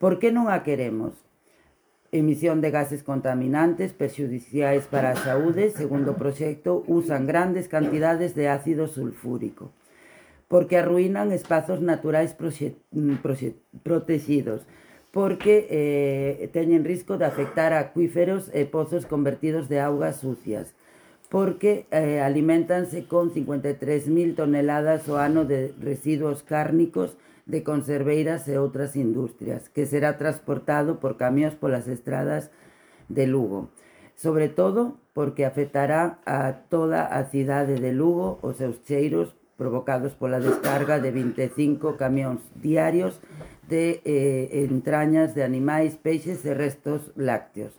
Por que non a queremos? Emisión de gases contaminantes perxudiciais para a saúde, segundo o proxecto, usan grandes cantidades de ácido sulfúrico, porque arruinan espazos naturais protegidos, porque teñen risco de afectar a acuíferos e pozos convertidos de augas sucias, porque alimentanse con 53.000 toneladas ao ano de residuos cárnicos de conserveiras e outras industrias, que será transportado por camións polas estradas de Lugo. Sobre todo porque afectará a toda a cidade de Lugo os seus cheiros provocados pola descarga de 25 camións diarios de entrañas de animais, peixes e restos lácteos.